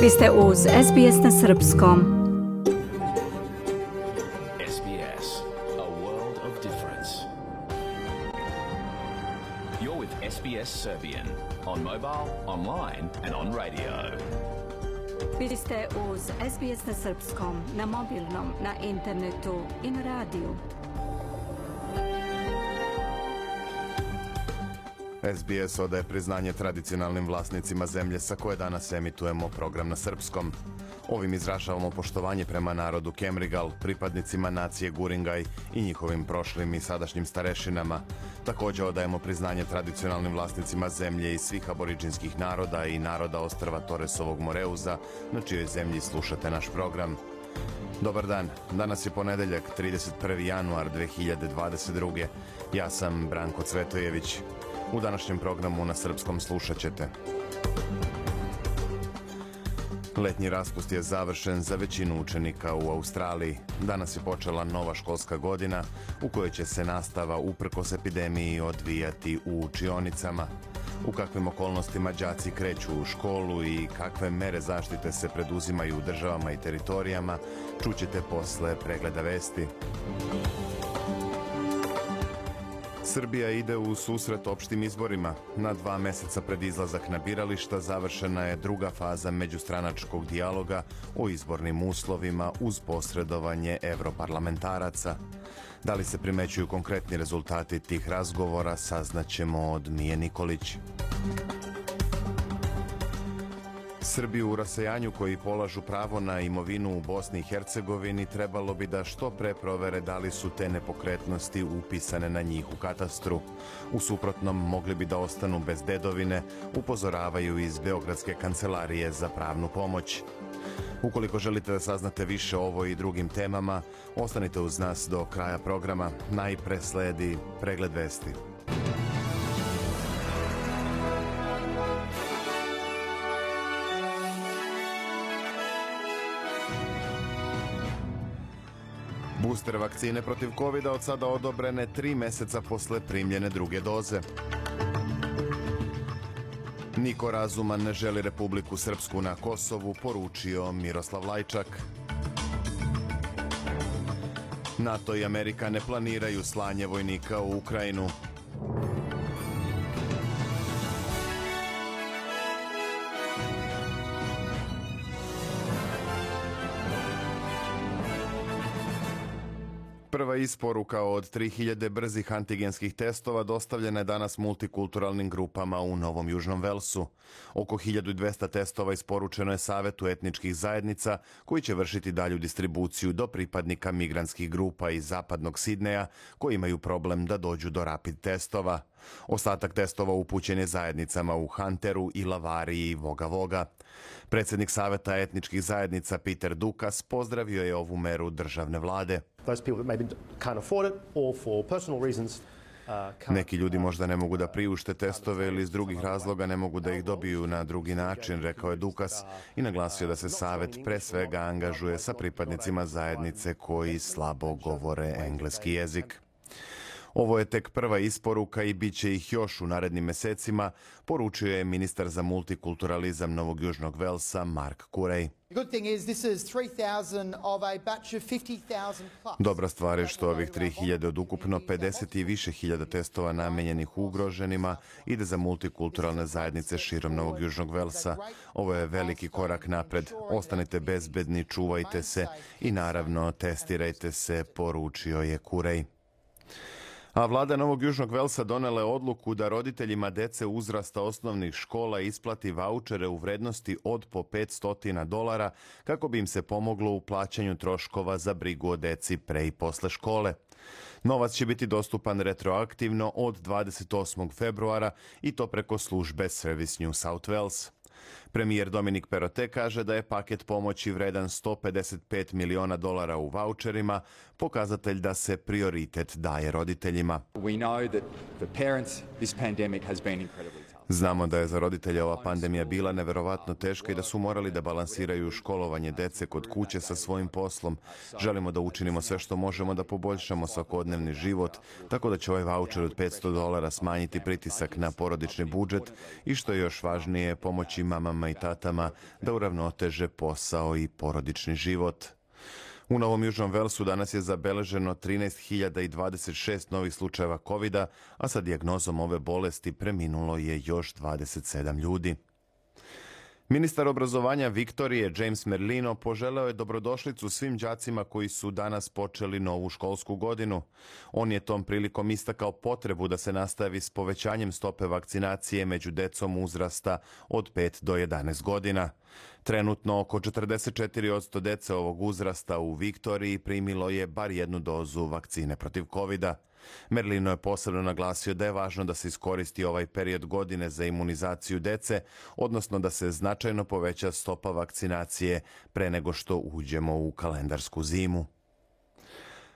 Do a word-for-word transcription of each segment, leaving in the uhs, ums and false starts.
Vi ste uz S B S na srpskom. S B S, a world of difference. You're with S B S Serbian on mobile, online and on radio. Vi ste uz S B S na srpskom, na mobilnom, na internetu i na radiju. S B S odaje priznanje tradicionalnim vlasnicima zemlje sa koje danas emitujemo program na srpskom. Ovim izražavamo poštovanje prema narodu Kemrigal, pripadnicima nacije Guringaj i njihovim prošlim i sadašnjim starešinama. Također odajemo priznanje tradicionalnim vlasnicima zemlje i svih aboriđinskih naroda i naroda ostrva Toresovog Moreuza, na čijoj zemlji slušate naš program. Dobar dan, danas je ponedeljak, trideset prvi januar dve hiljade dvadeset druge. Ja sam Branko Cvetojević. U današnjem programu na srpskom slušat ćete. Letnji raspust je završen za većinu učenika u Australiji. Danas je počela nova školska godina u kojoj će se nastava uprkos epidemiji odvijati u učionicama. U kakvim okolnostima đaci kreću u školu i kakve mere zaštite se preduzimaju u državama i teritorijama, čućete posle pregleda vesti. Srbija ide u susret opštim izborima. Na dva meseca pred izlazak na birališta završena je druga faza međustranačkog dijaloga o izbornim uslovima uz posredovanje evroparlamentaraca. Da li se primećuju konkretni rezultati tih razgovora, saznaćemo od Mije Nikolić. Srbiju u rasejanju koji polažu pravo na imovinu u Bosni i Hercegovini trebalo bi da što pre provere da li su te nepokretnosti upisane na njih u katastru. U suprotnom mogli bi da ostanu bez dedovine, upozoravaju iz Beogradske kancelarije za pravnu pomoć. Ukoliko želite da saznate više o ovoj i drugim temama, ostanite uz nas do kraja programa. Najpre sledi pregled vesti. Booster vakcine protiv kovida od sada odobrene tri meseca posle primljene druge doze. Niko razuman ne želi Republiku Srpsku na Kosovu, poručio Miroslav Lajčak. NATO i Amerika ne planiraju slanje vojnika u Ukrajinu. Prva isporuka od tri hiljade brzih antigenskih testova dostavljena je danas multikulturalnim grupama u Novom Južnom Velsu. Oko hiljadu dvesta testova isporučeno je Savetu etničkih zajednica, koji će vršiti dalju distribuciju do pripadnika migrantskih grupa iz zapadnog Sidneja, koji imaju problem da dođu do rapid testova. Ostatak testova upućen je zajednicama u Hunteru, Ilavariji i Voga Voga. Predsjednik Saveta etničkih zajednica Peter Dukas pozdravio je ovu meru državne vlade. Neki ljudi možda ne mogu da priušte testove ili iz drugih razloga ne mogu da ih dobiju na drugi način, rekao je Dukas i naglasio da se Savet pre svega angažuje sa pripadnicima zajednice koji slabo govore engleski jezik. Ovo je tek prva isporuka i bit će ih još u narednim mesecima, poručio je ministar za multikulturalizam Novog Južnog Velsa Mark Curey. Dobra stvar je što ovih tri hiljade od ukupno pedeset i više hiljada testova namenjenih ugroženima ide za multikulturalne zajednice širom Novog Južnog Velsa. Ovo je veliki korak napred. Ostanite bezbedni, čuvajte se i naravno testirajte se, poručio je Curey. A vlada Novog Južnog Velsa donela je odluku da roditeljima dece uzrasta osnovnih škola isplati vaučere u vrednosti od po petsto dolara kako bi im se pomoglo u plaćanju troškova za brigu o deci pre i posle škole. Novac će biti dostupan retroaktivno od dvadeset osmog februara i to preko službe Service New South Wales. Premijer Dominik Perrottet kaže da je paket pomoći vredan sto pedeset pet miliona dolara u vaučerima, pokazatelj da se prioritet daje roditeljima. Znamo da je za roditelje ova pandemija bila neverovatno teška i da su morali da balansiraju školovanje dece kod kuće sa svojim poslom. Želimo da učinimo sve što možemo da poboljšamo svakodnevni život, tako da će ovaj vaučer od petsto dolara smanjiti pritisak na porodični budžet i, što je još važnije, pomoći mamama i tatama da uravnoteže posao i porodični život. U Novom Južnom Velsu danas je zabeleženo trinaest hiljada dvadeset šest novih slučajeva kovida, a sa dijagnozom ove bolesti preminulo je još dvadeset sedam ljudi. Ministar obrazovanja Viktorije, James Merlino, poželeo je dobrodošlicu svim đacima koji su danas počeli novu školsku godinu. On je tom prilikom istakao potrebu da se nastavi s povećanjem stope vakcinacije među decom uzrasta od pet do jedanaest godina. Trenutno oko četrdeset četiri posto dece ovog uzrasta u Viktoriji primilo je bar jednu dozu vakcine protiv kovida. Merlino je posebno naglasio da je važno da se iskoristi ovaj period godine za imunizaciju dece, odnosno da se značajno poveća stopa vakcinacije pre nego što uđemo u kalendarsku zimu.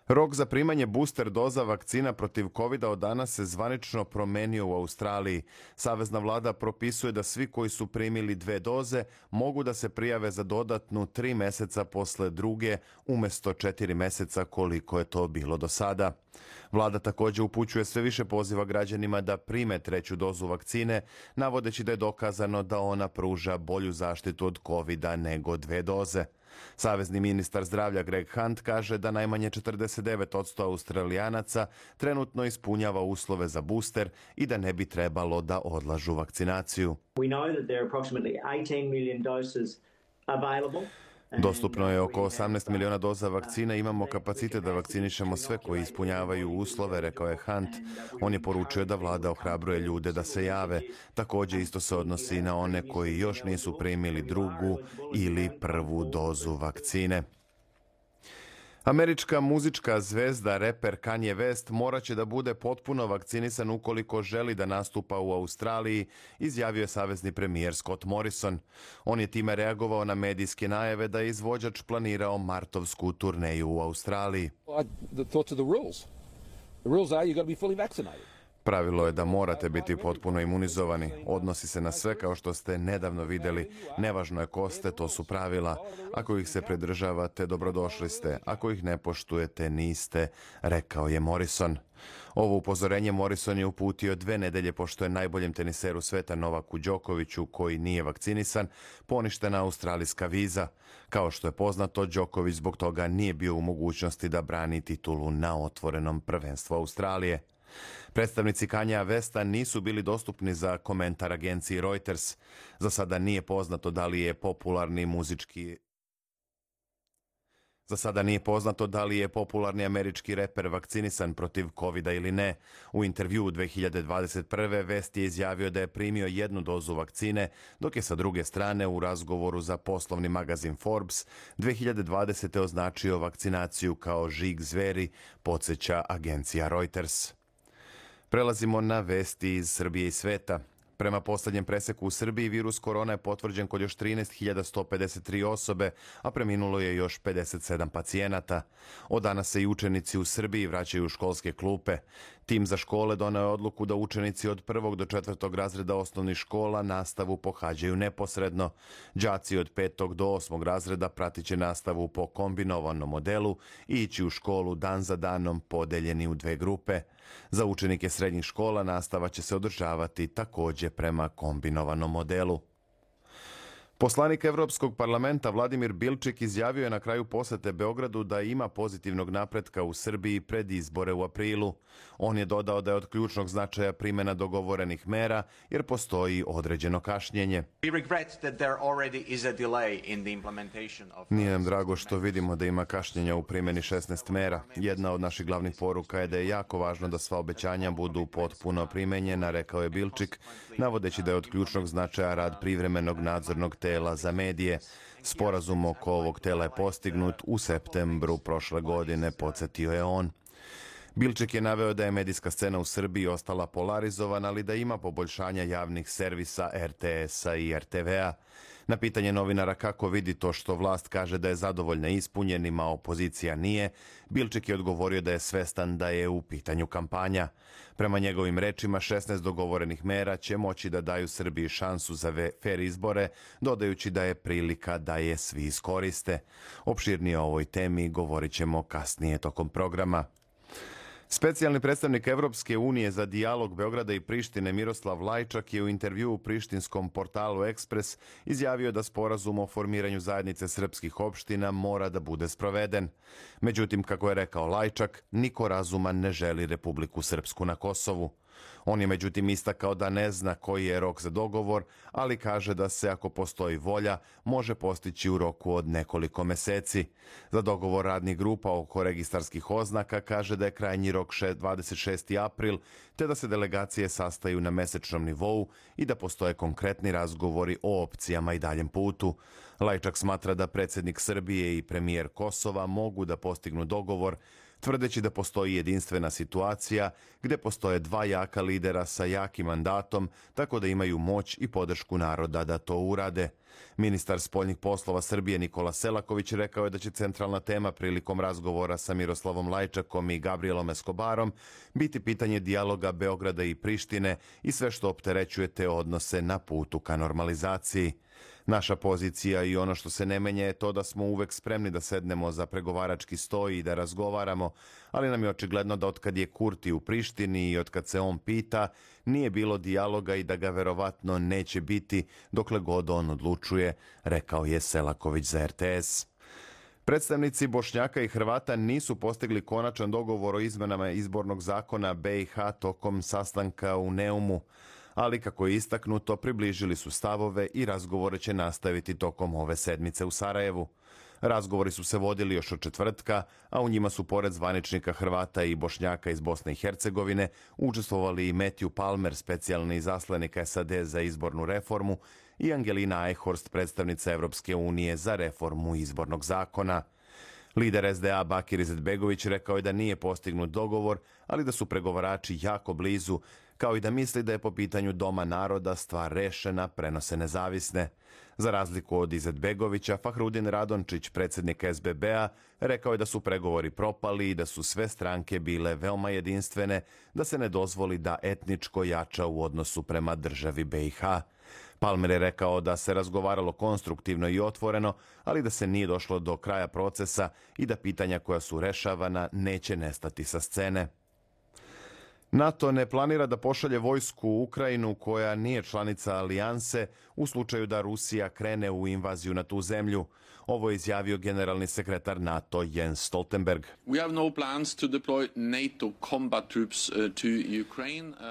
Rok za primanje booster doza vakcina protiv kovida od danas se zvanično promenio u Australiji. Savezna vlada propisuje da svi koji su primili dve doze mogu da se prijave za dodatnu tri meseca posle druge, umesto četiri meseca koliko je to bilo do sada. Vlada također upućuje sve više poziva građanima da prime treću dozu vakcine, navodeći da je dokazano da ona pruža bolju zaštitu od kovida nego dve doze. Savezni ministar zdravlja Greg Hunt kaže da najmanje četrdeset devet posto Australijanaca trenutno ispunjava uslove za booster i da ne bi trebalo da odlažu vakcinaciju. We know that there are approximately eighteen million doses available. Dostupno je oko osamnaest miliona doza vakcina, imamo kapacitet da vakcinišemo sve koji ispunjavaju uslove, rekao je Hunt. On je poručio da vlada ohrabruje ljude da se jave. Također isto se odnosi i na one koji još nisu primili drugu ili prvu dozu vakcine. Američka muzička zvezda, reper Kanye West, moraće da bude potpuno vakcinisan ukoliko želi da nastupa u Australiji, izjavio je savezni premijer Scott Morrison. On je time reagovao na medijske najave da je izvođač planirao martovsku turneju u Australiji. Pravilo je da morate biti potpuno imunizovani. Odnosi se na sve kao što ste nedavno vidjeli. Nevažno je ko ste, to su pravila. Ako ih se pridržavate, dobrodošli ste. Ako ih ne poštujete, niste, rekao je Morrison. Ovo upozorenje Morrison je uputio dve nedelje pošto je najboljem teniseru sveta Novaku Đokoviću, koji nije vakcinisan, poništena australijska viza. Kao što je poznato, Đoković zbog toga nije bio u mogućnosti da brani titulu na otvorenom prvenstvu Australije. Predstavnici Kanyea Westa nisu bili dostupni za komentar agenciji Reuters. Za sada nije poznato da li je popularni muzički Za sada nije poznato da li je popularni američki reper vakcinisan protiv kovida ili ne. U intervjuu dve hiljade dvadeset prve. West je izjavio da je primio jednu dozu vakcine, dok je sa druge strane u razgovoru za poslovni magazin Forbes dve hiljade dvadesete. označio vakcinaciju kao žig zveri, podsjeća agencija Reuters. Prelazimo na vesti iz Srbije i sveta. Prema posljednjem preseku u Srbiji, virus korona je potvrđen kod još trinaest hiljada sto pedeset tri osobe, a preminulo je još pedeset sedam pacijenata. Od danas se i učenici u Srbiji vraćaju u školske klupe. Tim za škole doneo je odluku da učenici od prvog do četvrtog razreda osnovnih škola nastavu pohađaju neposredno. Đaci od petog do osmog razreda pratit će nastavu po kombinovanom modelu i ići u školu dan za danom podeljeni u dve grupe. Za učenike srednjih škola nastava će se održavati također prema kombinovanom modelu. Poslanik Evropskog parlamenta Vladimir Bilčik izjavio je na kraju posete Beogradu da ima pozitivnog napretka u Srbiji pred izbore u aprilu. On je dodao da je od ključnog značaja primjena dogovorenih mera jer postoji određeno kašnjenje. Nije nam drago što vidimo da ima kašnjenja u primjeni šesnaest mera. Jedna od naših glavnih poruka je da je jako važno da sva obećanja budu potpuno primenjena, rekao je Bilčik, navodeći da je od ključnog značaja rad privremenog nadzornog tela za medije. Sporazum oko ovog tela je postignut u septembru prošle godine, podsjetio je on. Bilčik je naveo da je medijska scena u Srbiji ostala polarizovana, ali da ima poboljšanja javnih servisa R T S-a i R T V-a. Na pitanje novinara kako vidi to što vlast kaže da je zadovoljna ispunjenima, a opozicija nije, Bilčik je odgovorio da je svestan da je u pitanju kampanja. Prema njegovim rečima, šesnaest dogovorenih mera će moći da daju Srbiji šansu za fer izbore, dodajući da je prilika da je svi iskoriste. Opširnije o ovoj temi govorit ćemo kasnije tokom programa. Specijalni predstavnik Evropske unije za dijalog Beograda i Prištine Miroslav Lajčak je u intervjuu u prištinskom portalu Ekspres izjavio da sporazum o formiranju zajednice srpskih opština mora da bude sproveden. Međutim, kako je rekao Lajčak, niko razuman ne želi Republiku Srpsku na Kosovu. On je međutim istakao da ne zna koji je rok za dogovor, ali kaže da se, ako postoji volja, može postići u roku od nekoliko meseci. Za dogovor radnih grupa oko registarskih oznaka kaže da je krajnji rok dvadeset šesti april, te da se delegacije sastaju na mesečnom nivou i da postoje konkretni razgovori o opcijama i daljem putu. Lajčak smatra da predsjednik Srbije i premijer Kosova mogu da postignu dogovor, tvrdeći da postoji jedinstvena situacija gdje postoje dva jaka lidera sa jakim mandatom, tako da imaju moć i podršku naroda da to urade. Ministar spoljnih poslova Srbije Nikola Selaković rekao je da će centralna tema prilikom razgovora sa Miroslavom Lajčakom i Gabrielom Escobarom biti pitanje dijaloga Beograda i Prištine i sve što opterećuje te odnose na putu ka normalizaciji. Naša pozicija i ono što se ne menja je to da smo uvek spremni da sednemo za pregovarački sto i da razgovaramo, ali nam je očigledno da otkad je Kurti u Prištini i otkad se on pita, nije bilo dijaloga i da ga verovatno neće biti dokle god on odlučuje, rekao je Selaković za er te es. Predstavnici Bošnjaka i Hrvata nisu postigli konačan dogovor o izmenama izbornog zakona be i ha tokom sastanka u Neumu, ali kako je istaknuto, približili su stavove i razgovore će nastaviti tokom ove sedmice u Sarajevu. Razgovori su se vodili još od četvrtka, a u njima su pored zvaničnika Hrvata i Bošnjaka iz Bosne i Hercegovine učestvovali i Matthew Palmer, specijalni izaslanik es a de za izbornu reformu, i Angelina Eichhorst, predstavnica Evropske unije za reformu izbornog zakona. Lider es de a Bakir Izetbegović rekao je da nije postignut dogovor, ali da su pregovarači jako blizu, kao i da misli da je po pitanju Doma naroda stvar rešena, prenose nezavisne. Za razliku od Izetbegovića, Fahrudin Radončić, predsjednik es be be a, rekao je da su pregovori propali i da su sve stranke bile veoma jedinstvene, da se ne dozvoli da etničko jača u odnosu prema državi be i ha. Palmer je rekao da se razgovaralo konstruktivno i otvoreno, ali da se nije došlo do kraja procesa i da pitanja koja su rešavana neće nestati sa scene. NATO ne planira da pošalje vojsku u Ukrajinu koja nije članica alijanse u slučaju da Rusija krene u invaziju na tu zemlju. Ovo je izjavio generalni sekretar NATO Jens Stoltenberg.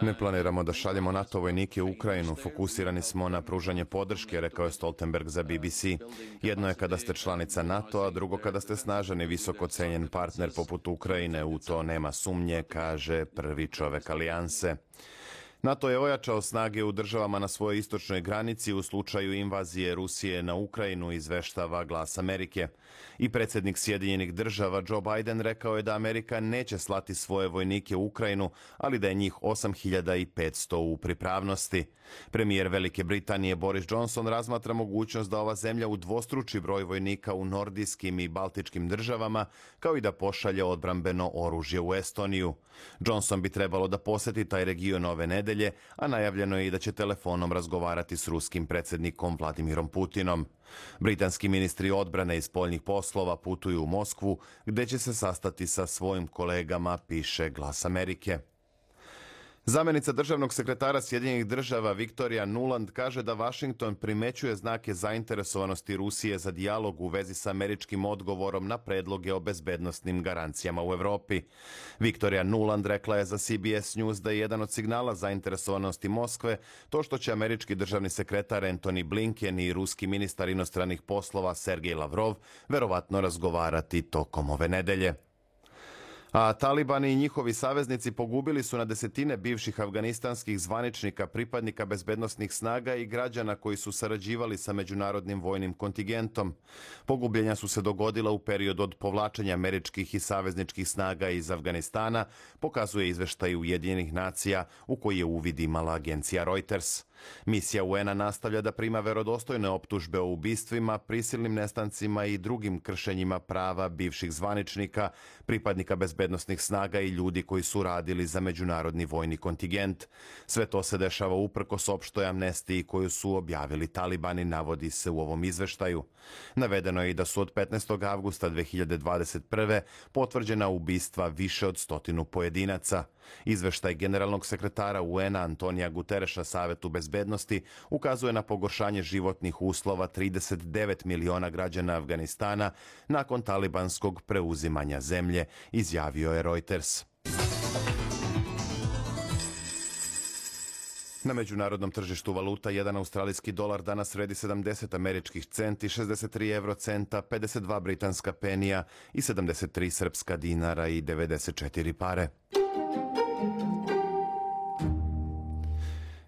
Ne planiramo da šaljemo NATO vojnike u Ukrajinu, fokusirani smo na pružanje podrške, rekao je Stoltenberg za be be ce. Jedno je kada ste članica NATO, a drugo kada ste snažan i visoko cenjen partner poput Ukrajine, u to nema sumnje, kaže prvi čovek alijanse. NATO je ojačao snage u državama na svojoj istočnoj granici u slučaju invazije Rusije na Ukrajinu, izveštava Glas Amerike. I predsjednik Sjedinjenih država Joe Biden rekao je da Amerika neće slati svoje vojnike u Ukrajinu, ali da je njih osam hiljada petsto u pripravnosti. Premijer Velike Britanije Boris Johnson razmatra mogućnost da ova zemlja udvostruči broj vojnika u nordijskim i baltičkim državama, kao i da pošalje odbrambeno oružje u Estoniju. Johnson bi trebalo da poseti taj region ove nedelje, a najavljeno je i da će telefonom razgovarati s ruskim predsjednikom Vladimirom Putinom. Britanski ministri odbrane i spoljnih poslova putuju u Moskvu, gde će se sastati sa svojim kolegama, piše Glas Amerike. Zamenica državnog sekretara Sjedinjenih država Viktorija Nuland kaže da Vašington primećuje znake zainteresovanosti Rusije za dijalog u vezi sa američkim odgovorom na predloge o bezbednosnim garancijama u Evropi. Viktorija Nuland rekla je za ce be es News da je jedan od signala zainteresovanosti Moskve to što će američki državni sekretar Antony Blinken i ruski ministar inostranih poslova Sergej Lavrov verovatno razgovarati tokom ove nedelje. A talibani i njihovi saveznici pogubili su na desetine bivših afganistanskih zvaničnika, pripadnika bezbednosnih snaga i građana koji su sarađivali sa međunarodnim vojnim kontingentom. Pogubljenja su se dogodila u periodu od povlačenja američkih i savezničkih snaga iz Afganistana, pokazuje izveštaj Ujedinjenih nacija u koji je uvid imala agencija Reuters. Misija U N-a nastavlja da prima verodostojne optužbe o ubistvima, prisilnim nestancima i drugim kršenjima prava bivših zvaničnika, pripadnika bezbednosnih snaga i ljudi koji su radili za međunarodni vojni kontingent. Sve to se dešava uprkos opštoj amnestiji koju su objavili talibani, navodi se u ovom izveštaju. Navedeno je i da su od petnaestog avgusta dve hiljade dvadeset prve potvrđena ubistva više od stotinu pojedinaca. Izveštaj generalnog sekretara U N-a Antonija Gutereša Savetu bezbednosti ukazuje na pogoršanje životnih uslova trideset devet miliona građana Afganistana nakon talibanskog preuzimanja zemlje, izjavio je Reuters. Na međunarodnom tržištu valuta jedan australijski dolar danas vredi sedamdeset američkih centi, šezdeset tri evrocenta, pedeset dva britanska penija i sedamdeset tri srpska dinara i devedeset četiri pare.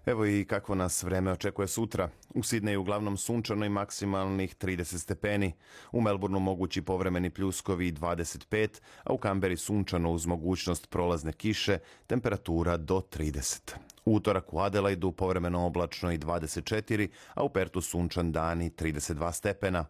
Evo i kako nas vreme očekuje sutra. U Sidneju uglavnom sunčano i maksimalnih trideset stepeni. U Melbourneu mogući povremeni pljuskovi i dvadeset pet, a u Kamberi sunčano uz mogućnost prolazne kiše, temperatura do trideset. U utorak u Adelaidu povremeno oblačno i dvadeset četiri, a u Pertu sunčan dan i trideset dva stepena.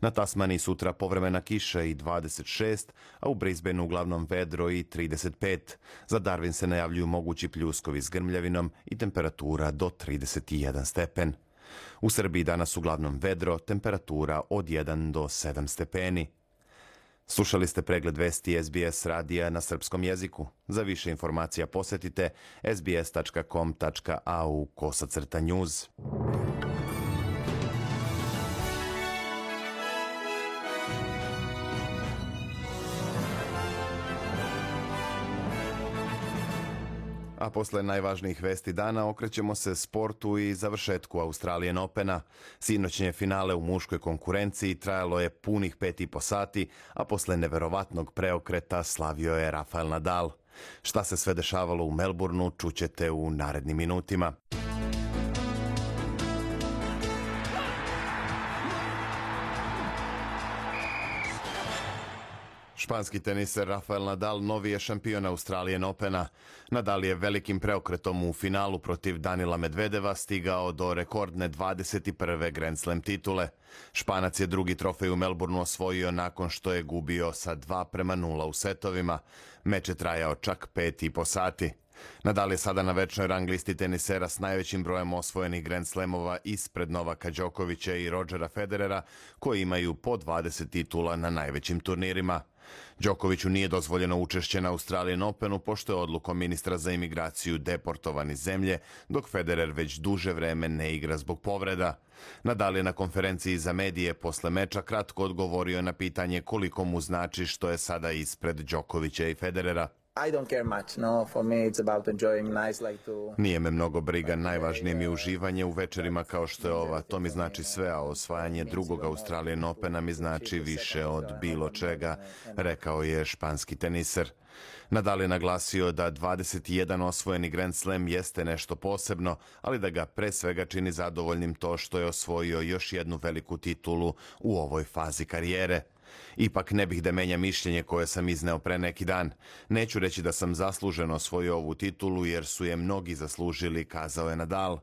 Na Tasmaniji sutra povremena kiša i dvadeset šest, a u Brisbaneu uglavnom vedro i trideset pet. Za Darwin se najavljuju mogući pljuskovi s grmljavinom i temperatura do trideset jedan stepen. U Srbiji danas uglavnom vedro, temperatura od jedan do sedam stepeni. Slušali ste pregled vesti S B S radija na srpskom jeziku. Za više informacija posjetite sbs tačka com tačka a u kosacrta news. A posle najvažnijih vesti dana okrećemo se sportu i završetku Australian Opena. Sinoćnje finale u muškoj konkurenciji trajalo je punih pet i po sati, a posle neverovatnog preokreta slavio je Rafael Nadal. Šta se sve dešavalo u Melbourneu čućete u narednim minutima. Španski teniser Rafael Nadal novi je šampion Australian Opena. Nadal je velikim preokretom u finalu protiv Danila Medvedeva stigao do rekordne dvadeset prve Grand Slam titule. Španac je drugi trofej u Melbourneu osvojio nakon što je gubio sa dva prema nula u setovima. Meč je trajao čak pet i po sati. Nadal je sada na večnoj rang listi tenisera s najvećim brojem osvojenih Grand Slamova ispred Novaka Đokovića i Rodgera Federera, koji imaju po dvadeset titula na najvećim turnirima. Đokoviću nije dozvoljeno učešće na Australian Openu pošto je odlukom ministra za imigraciju deportovan iz zemlje, dok Federer već duže vreme ne igra zbog povreda. Nadal je na konferenciji za medije posle meča kratko odgovorio na pitanje koliko mu znači što je sada ispred Đokovića i Federera. I don't care much, no, for me it's about enjoying nice like to... Nije me mnogo briga, najvažnije mi je uživanje u večerima kao što je ova, to mi znači sve, a osvajanje drugog Australian Opena mi znači više od bilo čega, rekao je španski teniser. Nadal je naglasio da dvadeset jedan osvojeni Grand Slam jeste nešto posebno, ali da ga pre svega čini zadovoljnim to što je osvojio još jednu veliku titulu u ovoj fazi karijere. Ipak ne bih da menja mišljenje koje sam izneo pre neki dan. Neću reći da sam zasluženo osvojio ovu titulu jer su je mnogi zaslužili, kazao je Nadal.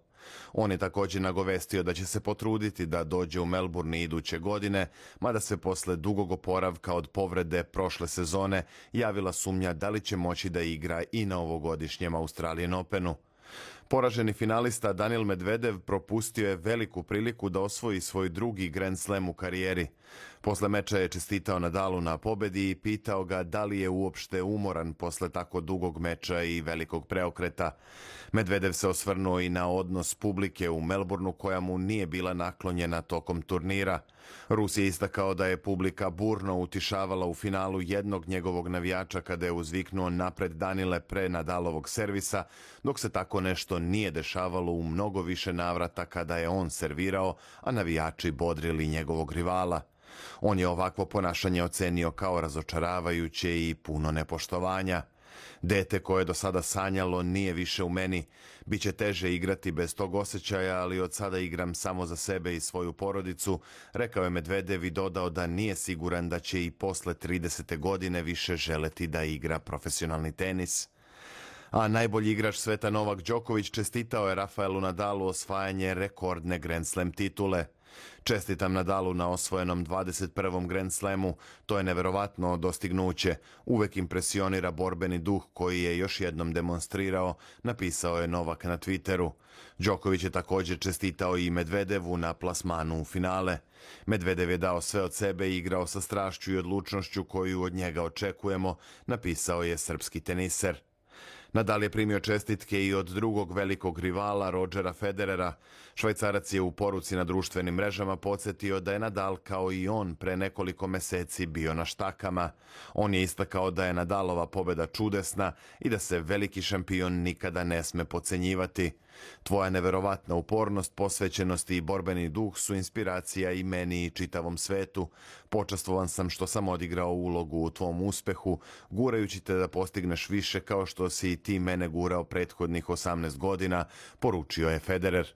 On je također nagovestio da će se potruditi da dođe u Melbourne iduće godine, mada se posle dugog oporavka od povrede prošle sezone javila sumnja da li će moći da igra i na ovogodišnjem Australian Openu. Poraženi finalista Danil Medvedev propustio je veliku priliku da osvoji svoj drugi Grand Slam u karijeri. Posle meča je čestitao Nadalu na pobedi i pitao ga da li je uopšte umoran posle tako dugog meča i velikog preokreta. Medvedev se osvrnuo i na odnos publike u Melbourneu koja mu nije bila naklonjena tokom turnira. Rus je istakao da je publika burno utišavala u finalu jednog njegovog navijača kada je uzviknuo napred Danile pre Nadalovog servisa, dok se tako nešto nije dešavalo u mnogo više navrata kada je on servirao, a navijači bodrili njegovog rivala. On je ovakvo ponašanje ocenio kao razočaravajuće i puno nepoštovanja. Dete koje je do sada sanjalo nije više u meni. Biće teže igrati bez tog osjećaja, ali od sada igram samo za sebe i svoju porodicu, rekao je Medvedev i dodao da nije siguran da će i posle tridesete godine više želeti da igra profesionalni tenis. A najbolji igrač sveta Novak Đoković čestitao je Rafaelu Nadalu osvajanje rekordne Grand Slam titule. Čestitam Nadalu na osvojenom dvadeset prvom Grand Slamu, to je neverovatno dostignuće. Uvek impresionira borbeni duh koji je još jednom demonstrirao, napisao je Novak na Twitteru. Đoković je također čestitao i Medvedevu na plasmanu u finale. Medvedev je dao sve od sebe i igrao sa strašću i odlučnošću koju od njega očekujemo, napisao je srpski teniser. Nadal je primio čestitke i od drugog velikog rivala Rodgera Federera. Švajcarac je u poruci na društvenim mrežama podsjetio da je Nadal kao i on pre nekoliko meseci bio na štakama. On je istakao da je Nadalova pobjeda čudesna i da se veliki šampion nikada ne sme podcenjivati. Tvoja neverovatna upornost, posvećenost i borbeni duh su inspiracija i meni i čitavom svetu. Počastvovan sam što sam odigrao ulogu u tvom uspehu, gurajući te da postigneš više kao što si i ti mene gurao prethodnih osamnaest godina, poručio je Federer.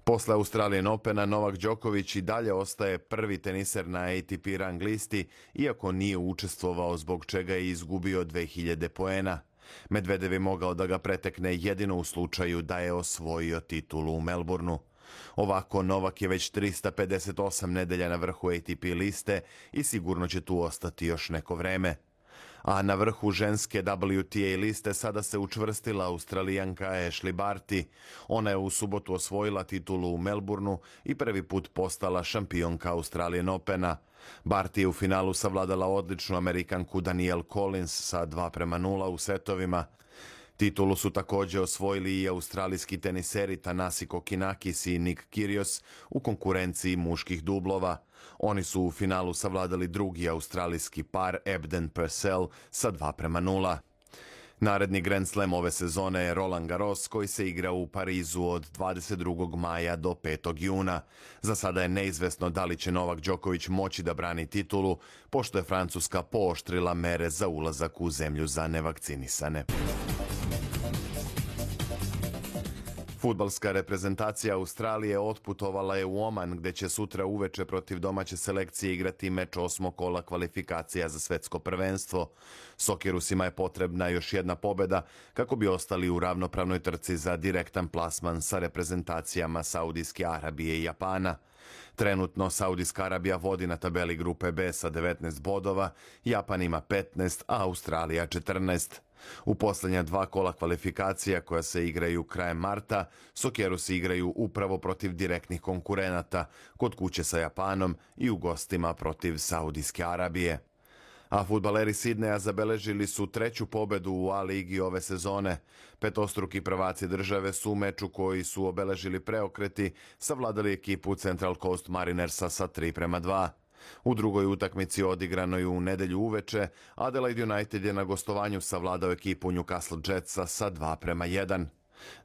Posle Australian Opena Novak Đoković i dalje ostaje prvi teniser na A T P rang listi, iako nije učestvovao zbog čega je izgubio dve hiljade poena. Medvedev je mogao da ga pretekne jedino u slučaju da je osvojio titulu u Melbourneu. Ovako, Novak je već trista pedeset osam nedelja na vrhu A T P liste i sigurno će tu ostati još neko vreme. A na vrhu ženske W T A liste sada se učvrstila Australijanka Ashley Barty. Ona je u subotu osvojila titulu u Melbourneu i prvi put postala šampionka Australian Opena. Barty je u finalu savladala odličnu Amerikanku Danielle Collins sa dva prema nula u setovima. Titulu su također osvojili i australijski teniseri Thanasi Kokkinakis i Nick Kyrgios u konkurenciji muških dublova. Oni su u finalu savladali drugi australijski par Ebden Purcell sa dva prema nula. Naredni Grand Slam ove sezone je Roland Garros koji se igra u Parizu od dvadeset drugog maja do petog juna. Za sada je neizvesno da li će Novak Đoković moći da brani titulu, pošto je Francuska pooštrila mere za ulazak u zemlju za nevakcinisane. Fudbalska reprezentacija Australije otputovala je u Oman, gde će sutra uveče protiv domaće selekcije igrati meč osmog kola kvalifikacija za svetsko prvenstvo. Sokerusima je potrebna još jedna pobjeda kako bi ostali u ravnopravnoj trci za direktan plasman sa reprezentacijama Saudijske Arabije i Japana. Trenutno Saudijska Arabija vodi na tabeli grupe B sa devetnaest bodova, Japan ima petnaest, a Australija četrnaest. U posljednja dva kola kvalifikacija koja se igraju krajem marta, Sokerusi igraju upravo protiv direktnih konkurenata, kod kuće sa Japanom i u gostima protiv Saudijske Arabije. A fudbaleri Sidneja zabeležili su treću pobedu u A ligi ove sezone. Petostruki prvaci države su u meču koji su obeležili preokreti savladali ekipu Central Coast Marinersa sa tri prema dva. U drugoj utakmici odigranoj u nedelju uveče, Adelaide United je na gostovanju savladao ekipu Newcastle Jetsa sa dva prema jedan.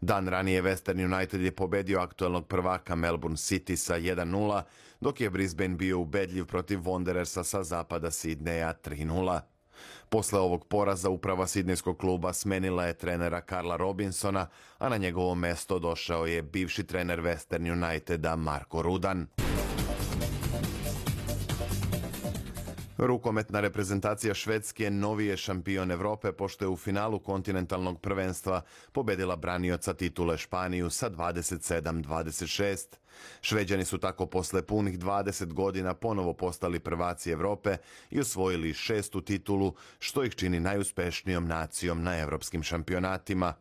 Dan ranije Western United je pobedio aktuelnog prvaka Melbourne City sa jedan nula, dok je Brisbane bio ubedljiv protiv Wanderersa sa zapada Sidneja tri nula. Posle ovog poraza uprava sidnejskog kluba smenila je trenera Karla Robinsona, a na njegovo mesto došao je bivši trener Western Uniteda Marko Rudan. Rukometna reprezentacija Švedske novi je šampion Evrope pošto je u finalu kontinentalnog prvenstva pobedila branioca titule Španiju sa dvadeset sedam dvadeset šest. Šveđani su tako posle punih dvadeset godina ponovo postali prvaci Evrope i osvojili šestu titulu, što ih čini najuspešnijom nacijom na evropskim šampionatima.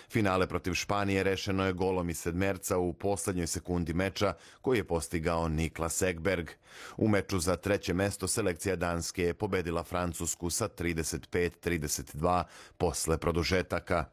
Finale protiv Španije rešeno je golom iz sedmerca u poslednjoj sekundi meča koji je postigao Niklas Ekberg. U meču za treće mesto selekcija Danske je pobedila Francusku sa trideset pet trideset dva posle produžetaka.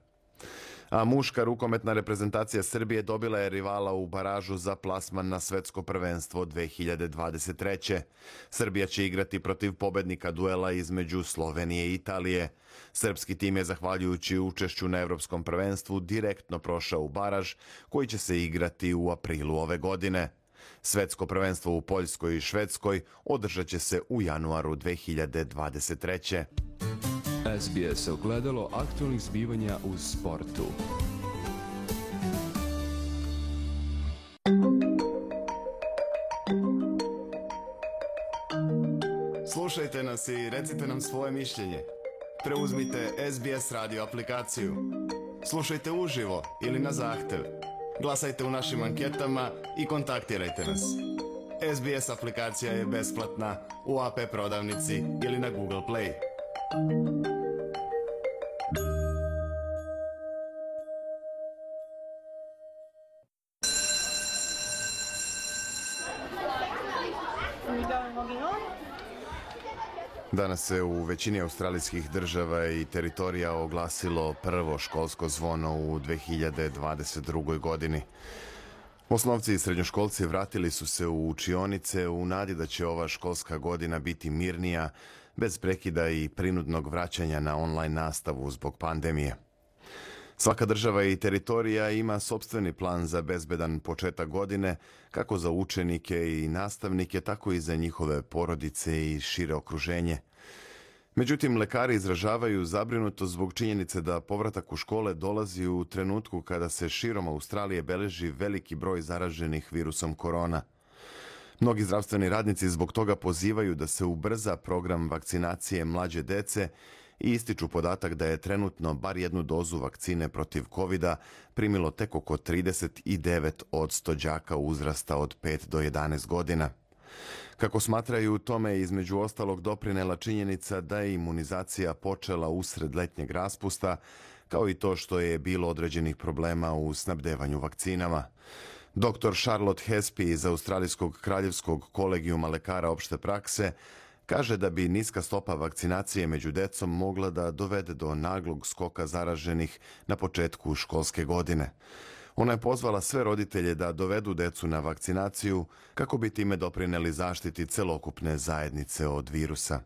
A muška rukometna reprezentacija Srbije dobila je rivala u baražu za plasman na svetsko prvenstvo dve hiljade dvadeset treće. Srbija će igrati protiv pobednika duela između Slovenije i Italije. Srpski tim je, zahvaljujući učešću na evropskom prvenstvu, direktno prošao u baraž koji će se igrati u aprilu ove godine. Svetsko prvenstvo u Poljskoj i Švedskoj održat će se u januaru dve hiljade dvadeset treće. S B S ogledalo aktualnih zbivanja u sportu. Slušajte nas i recite nam svoje mišljenje. Preuzmite S B S radio aplikaciju. Slušajte uživo ili na zahtev. Glasajte u našim anketama i kontaktirajte nas. S B S aplikacija je besplatna u A P prodavnici ili na Google Play. Danas se u većini australijskih država i teritorija oglasilo prvo školsko zvono u dve hiljade dvadeset drugoj. godini. Osnovci i srednjoškolci vratili su se u učionice u nadi da će ova školska godina biti mirnija, bez prekida i prinudnog vraćanja na online nastavu zbog pandemije. Svaka država i teritorija ima sopstveni plan za bezbedan početak godine, kako za učenike i nastavnike, tako i za njihove porodice i šire okruženje. Međutim, lekari izražavaju zabrinutost zbog činjenice da povratak u škole dolazi u trenutku kada se širom Australije beleži veliki broj zaraženih virusom korona. Mnogi zdravstveni radnici zbog toga pozivaju da se ubrza program vakcinacije mlađe dece i ističu podatak da je trenutno bar jednu dozu vakcine protiv kovida primilo tek oko trideset devet posto đaka uzrasta od pet do jedanaest godina. Kako smatraju, tome je između ostalog doprinela činjenica da je imunizacija počela usred letnjeg raspusta, kao i to što je bilo određenih problema u snabdevanju vakcinama. doktor Charlotte Hespe iz Australijskog kraljevskog kolegijuma lekara opšte prakse kaže da bi niska stopa vakcinacije među decom mogla da dovede do naglog skoka zaraženih na početku školske godine. Ona je pozvala sve roditelje da dovedu decu na vakcinaciju kako bi time doprineli zaštiti celokupne zajednice od virusa.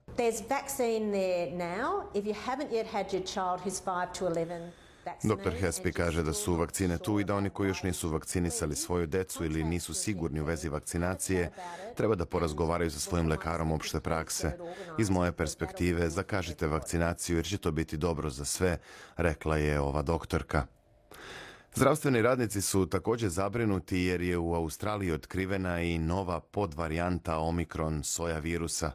doktor Hespe kaže da su vakcine tu i da oni koji još nisu vakcinisali svoju decu ili nisu sigurni u vezi vakcinacije, treba da porazgovaraju sa svojim lekarom opšte prakse. Iz moje perspektive, zakažite vakcinaciju jer će to biti dobro za sve, rekla je ova doktorka. Zdravstveni radnici su također zabrinuti jer je u Australiji otkrivena i nova podvarijanta Omikron soja virusa.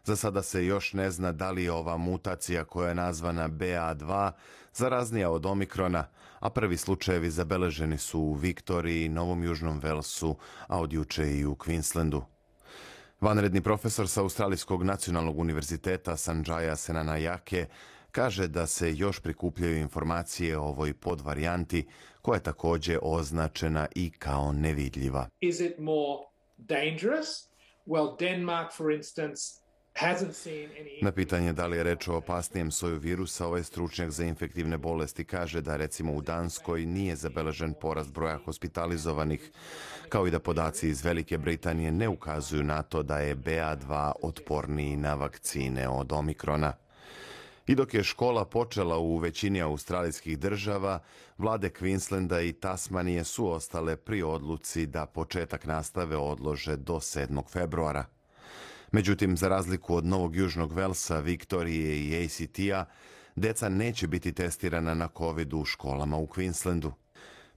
Za sada se još ne zna da li je ova mutacija koja je nazvana B A dva zaraznija od Omikrona, a prvi slučajevi zabeleženi su u Viktoriji, Novom Južnom Velsu, a od juče i u Queenslandu. Vanredni profesor sa Australijskog nacionalnog univerziteta Sanjaya Senanayake kaže da se još prikupljaju informacije o ovoj podvarijanti, koja je također označena i kao nevidljiva. Is it more dangerous? Well, Denmark, for instance, Na pitanje da li je reč o opasnijem soju virusa, ovaj stručnjak za infektivne bolesti kaže da recimo u Danskoj nije zabeležen porast broja hospitalizovanih, kao i da podaci iz Velike Britanije ne ukazuju na to da je B A dva otporniji na vakcine od Omikrona. I dok je škola počela u većini australijskih država, vlade Queenslanda i Tasmanije su ostale pri odluci da početak nastave odlože do sedmog februara. Međutim, za razliku od Novog Južnog Velsa, Viktorije i A C T-a, deca neće biti testirana na COVID u školama u Queenslandu.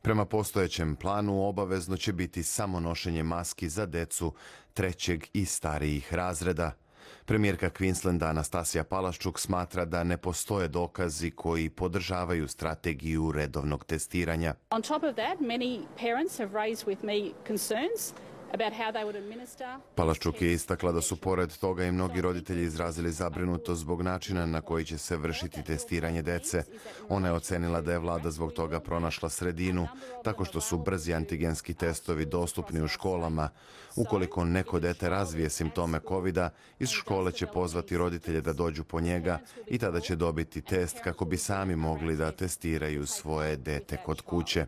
Prema postojećem planu, obavezno će biti samo nošenje maski za decu trećeg i starijih razreda. Premijerka Queenslanda Anastasija Palaščuk smatra da ne postoje dokazi koji podržavaju strategiju redovnog testiranja. On top of that, many parents have raised with me concerns about how they would administer. Palaščuk je istakla da su pored toga i mnogi roditelji izrazili zabrinutost zbog načina na koji će se vršiti testiranje dece. Ona je ocenila da je vlada zbog toga pronašla sredinu, tako što su brzi antigenski testovi dostupni u školama. Ukoliko neko dete razvije simptome kovida, iz škole će pozvati roditelje da dođu po njega i tada će dobiti test kako bi sami mogli da testiraju svoje dete kod kuće.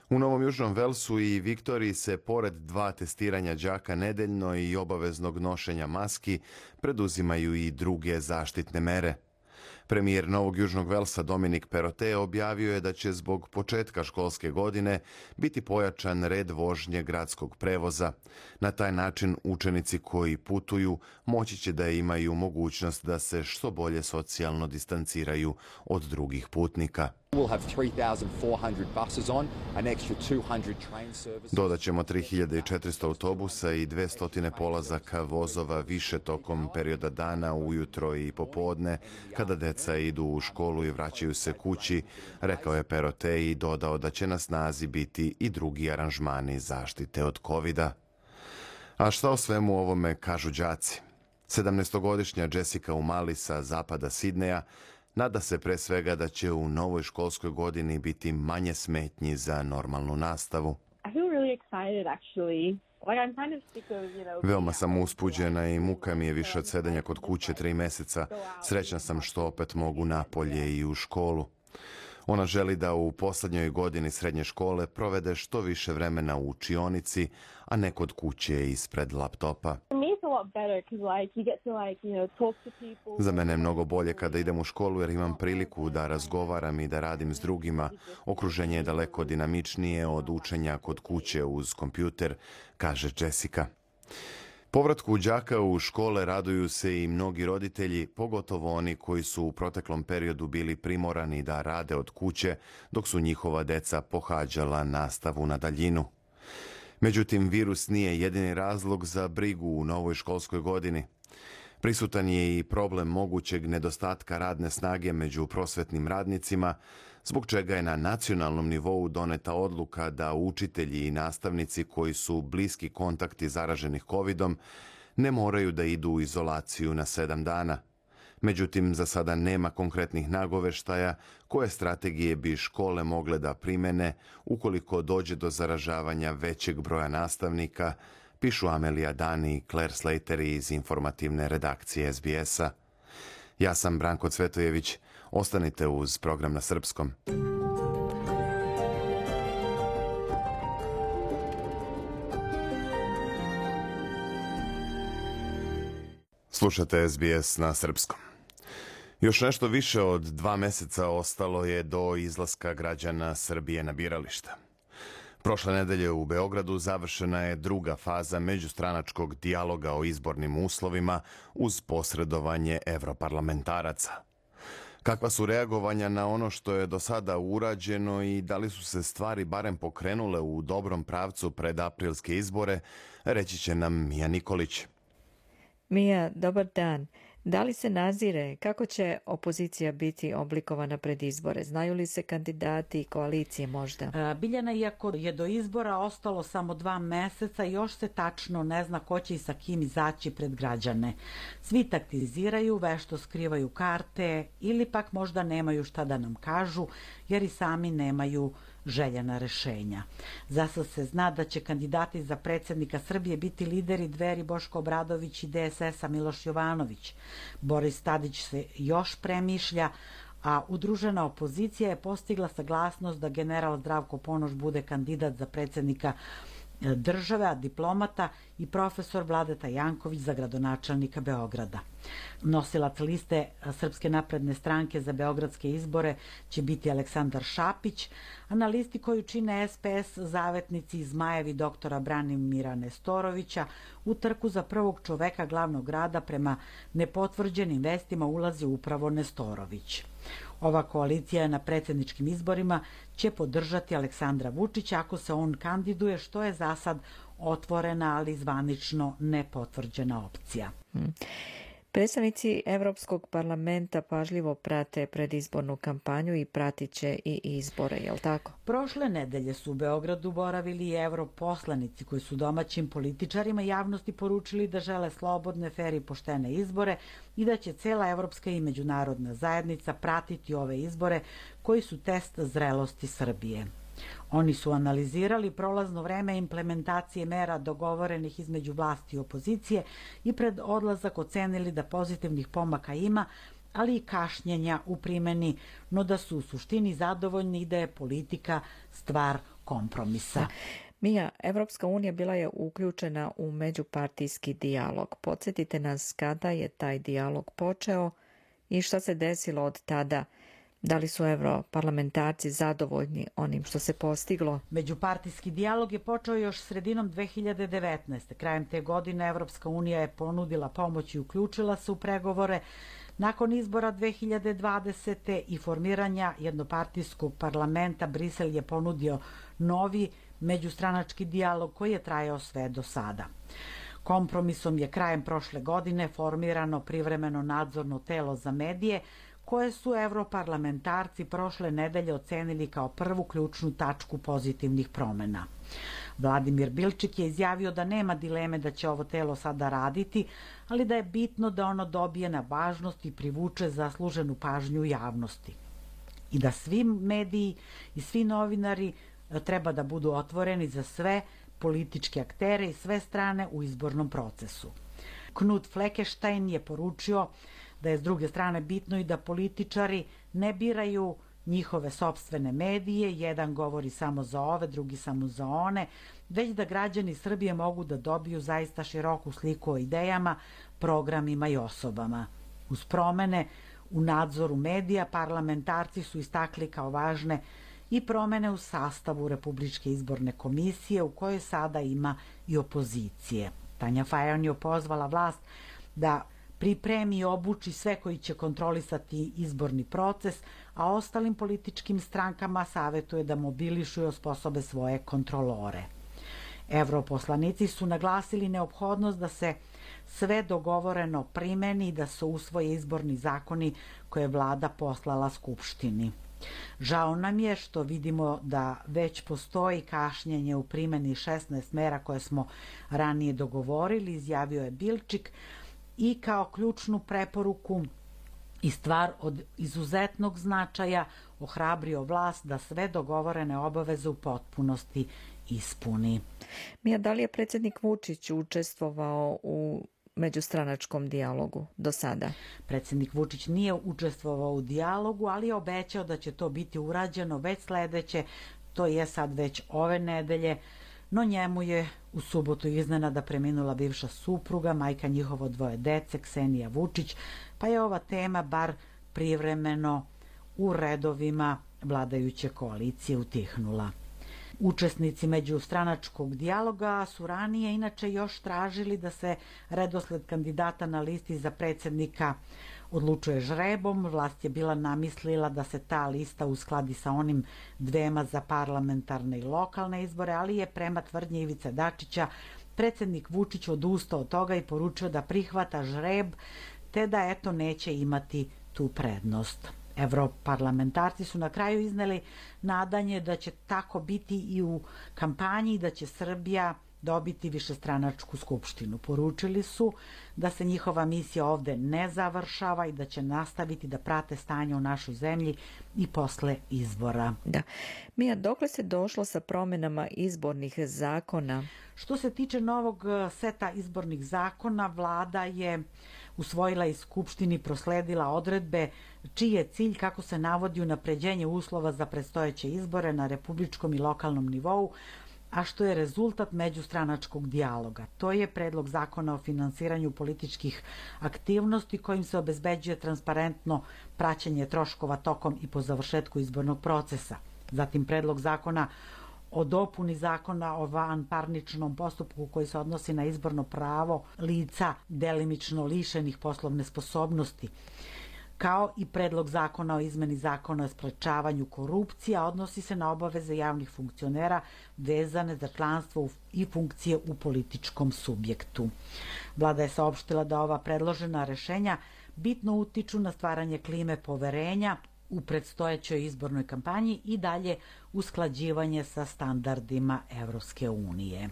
U Novom Južnom Velsu i Viktoriji se pored dva testiranja đaka nedeljno i obaveznog nošenja maski preduzimaju i druge zaštitne mere. Premijer Novog Južnog Velsa Dominic Perrottet objavio je da će zbog početka školske godine biti pojačan red vožnje gradskog prevoza. Na taj način učenici koji putuju moći će da imaju mogućnost da se što bolje socijalno distanciraju od drugih putnika. Dodat ćemo tri hiljade četiristo autobusa i dvesta polazaka vozova više tokom perioda dana, ujutro i popodne, kada deca idu u školu i vraćaju se kući, rekao je Perotej i dodao da će na snazi biti i drugi aranžmani zaštite od kovida. A šta o svemu ovome kažu đaci? sedamnaestogodišnja Jessica Umali sa zapada Sidneja nada se pre svega da će u novoj školskoj godini biti manje smetnji za normalnu nastavu. Veoma sam uspuđena i muka mi je više od sedenja kod kuće tri meseca. Srećna sam što opet mogu napolje i u školu. Ona želi da u poslednjoj godini srednje škole provede što više vremena u učionici, a ne kod kuće ispred laptopa. Za mene je mnogo bolje kada idem u školu jer imam priliku da razgovaram i da radim s drugima. Okruženje je daleko dinamičnije od učenja kod kuće uz kompjuter, kaže Jessica. Povratku đaka u škole raduju se i mnogi roditelji, pogotovo oni koji su u proteklom periodu bili primorani da rade od kuće, dok su njihova deca pohađala nastavu na daljinu. Međutim, virus nije jedini razlog za brigu u novoj školskoj godini. Prisutan je i problem mogućeg nedostatka radne snage među prosvetnim radnicima, zbog čega je na nacionalnom nivou doneta odluka da učitelji i nastavnici koji su bliski kontakti zaraženih kovidom ne moraju da idu u izolaciju na sedam dana. Međutim, za sada nema konkretnih nagoveštaja koje strategije bi škole mogle da primene ukoliko dođe do zaražavanja većeg broja nastavnika, pišu Amelija Dani i Claire Slater iz informativne redakcije S B S-a. Ja sam Branko Cvetojević. Ostanite uz program na srpskom. Slušate S B S na srpskom. Još nešto više od dva meseca ostalo je do izlaska građana Srbije na birališta. Prošle nedelje u Beogradu završena je druga faza međustranačkog dijaloga o izbornim uslovima uz posredovanje evroparlamentaraca. Kakva su reagovanja na ono što je do sada urađeno i da li su se stvari barem pokrenule u dobrom pravcu pred aprilske izbore, reći će nam Mija Nikolić. Mija, dobar dan. Da li se nazire kako će opozicija biti oblikovana pred izbore? Znaju li se kandidati i koalicije možda? Biljana, iako je do izbora ostalo samo dva meseca, još se tačno ne zna ko će i sa kim izaći pred građane. Svi taktiziraju, vešto skrivaju karte ili pak možda nemaju šta da nam kažu jer i sami nemaju željena rešenja. Zasad se zna da će kandidati za predsjednika Srbije biti lideri Dveri Boško Obradović i D S S-a Miloš Jovanović. Boris Tadić se još premišlja, a udružena opozicija je postigla saglasnost da general Zdravko Ponoš bude kandidat za predsjednika države, a diplomata i profesor Vladeta Janković za gradonačelnika Beograda. Nosilac liste Srpske napredne stranke za beogradske izbore će biti Aleksandar Šapić, a na listi koju čine S P S zavetnici i zmajevi doktora Branimira Nestorovića u trku za prvog čoveka glavnog grada prema nepotvrđenim vestima ulazi upravo Nestorović. Ova koalicija na predsjedničkim izborima će podržati Aleksandra Vučića ako se on kandiduje, što je za sad otvorena, ali zvanično nepotvrđena opcija. Hmm. Predstavnici Evropskog parlamenta pažljivo prate predizbornu kampanju i pratit će i izbore, je li tako? Prošle nedelje su u Beogradu boravili i europoslanici koji su domaćim političarima javnosti poručili da žele slobodne, fer i poštene izbore i da će cela evropska i međunarodna zajednica pratiti ove izbore koji su test zrelosti Srbije. Oni su analizirali prolazno vreme implementacije mera dogovorenih između vlasti i opozicije i pred odlazak ocenili da pozitivnih pomaka ima, ali i kašnjenja u primjeni, no da su u suštini zadovoljni i da je politika stvar kompromisa. Mija, Evropska unija bila je uključena u međupartijski dijalog. Podsjetite nas kada je taj dijalog počeo i šta se desilo od tada. Da li su europarlamentarci zadovoljni onim što se postiglo? Međupartijski dijalog je počeo još sredinom dve hiljade devetnaeste. Krajem te godine Evropska unija je ponudila pomoć i uključila se u pregovore. Nakon izbora dve hiljade dvadesete i formiranja jednopartijskog parlamenta, Brisel je ponudio novi međustranački dijalog koji je trajao sve do sada. Kompromisom je krajem prošle godine formirano privremeno nadzorno telo za medije, koje su evroparlamentarci prošle nedelje ocenili kao prvu ključnu tačku pozitivnih promena. Vladimir Bilčik je izjavio da nema dileme da će ovo telo sada raditi, ali da je bitno da ono dobije na važnosti i privuče zasluženu pažnju javnosti. I da svi mediji i svi novinari treba da budu otvoreni za sve političke aktere i sve strane u izbornom procesu. Knut Fleckenstein je poručio da je s druge strane bitno i da političari ne biraju njihove sopstvene medije, jedan govori samo za ove, drugi samo za one, već da građani Srbije mogu da dobiju zaista široku sliku o idejama, programima i osobama. Uz promene u nadzoru medija, parlamentarci su istakli kao važne i promene u sastavu Republičke izborne komisije, u kojoj sada ima i opozicije. Tanja Fajon je pozvala vlast da pripremi i obuči sve koji će kontrolisati izborni proces, a ostalim političkim strankama savetuje da mobilišu i osposobe svoje kontrolore. Evroposlanici su naglasili neophodnost da se sve dogovoreno primeni i da se usvoje izborni zakoni koje je vlada poslala Skupštini. Žao nam je što vidimo da već postoji kašnjenje u primeni šesnaest mera koje smo ranije dogovorili, izjavio je Bilčik, i kao ključnu preporuku i stvar od izuzetnog značaja ohrabrio vlast da sve dogovorene obaveze u potpunosti ispuni. Mija, da li je predsjednik Vučić učestvovao u međustranačkom dijalogu do sada? Predsjednik Vučić nije učestvovao u dijalogu, ali je obećao da će to biti urađeno već sledeće, to je sad već ove nedelje, no njemu je u subotu iznenada preminula bivša supruga, majka njihovo dvoje dece, Ksenija Vučić, pa je ova tema bar privremeno u redovima vladajuće koalicije utihnula. Učesnici međustranačkog dijaloga su ranije inače još tražili da se redosled kandidata na listi za predsjednika odlučuje žrebom. Vlast je bila namislila da se ta lista uskladi sa onim dvema za parlamentarne i lokalne izbore, ali je prema tvrdnji Ivice Dačića predsjednik Vučić odustao od toga i poručio da prihvata žreb, te da eto neće imati tu prednost. Evroparlamentarci su na kraju izneli nadanje da će tako biti i u kampanji i da će Srbija dobiti višestranačku skupštinu. Poručili su da se njihova misija ovde ne završava i da će nastaviti da prate stanje u našoj zemlji i posle izbora. Da. Mija, dokle se došlo sa promjenama izbornih zakona? Što se tiče novog seta izbornih zakona, vlada je usvojila i Skupštini prosledila odredbe čiji je cilj, kako se navodi, unapređenje uslova za predstojeće izbore na republičkom i lokalnom nivou, a što je rezultat međustranačkog dijaloga. To je predlog zakona o finansiranju političkih aktivnosti kojim se obezbeđuje transparentno praćenje troškova tokom i po završetku izbornog procesa. Zatim predlog zakona o dopuni zakona o vanparničnom postupku koji se odnosi na izborno pravo lica delimično lišenih poslovne sposobnosti, kao i predlog zakona o izmeni zakona o sprečavanju korupcije, a odnosi se na obaveze javnih funkcionera vezane za članstvo i funkcije u političkom subjektu. Vlada je saopštila da ova predložena rešenja bitno utiču na stvaranje klime poverenja u predstojećoj izbornoj kampanji i dalje usklađivanje sa standardima Evropske unije.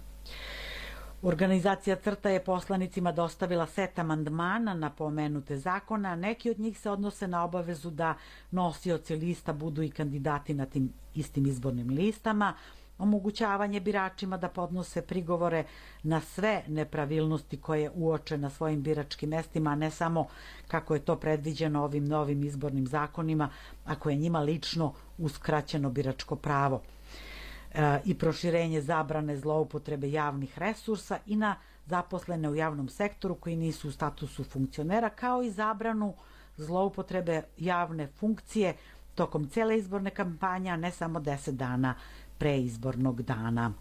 Organizacija CRTA je poslanicima dostavila set amandmana na pomenute zakona, a neki od njih se odnose na obavezu da nosioci lista budu i kandidati na tim istim izbornim listama, omogućavanje biračima da podnose prigovore na sve nepravilnosti koje uoče na svojim biračkim mestima, a ne samo kako je to predviđeno ovim novim izbornim zakonima, ako je njima lično uskraćeno biračko pravo, e, i proširenje zabrane zloupotrebe javnih resursa i na zaposlene u javnom sektoru koji nisu u statusu funkcionera, kao i zabranu zloupotrebe javne funkcije tokom cele izborne kampanje, a ne samo deset dana pre izbornog dana.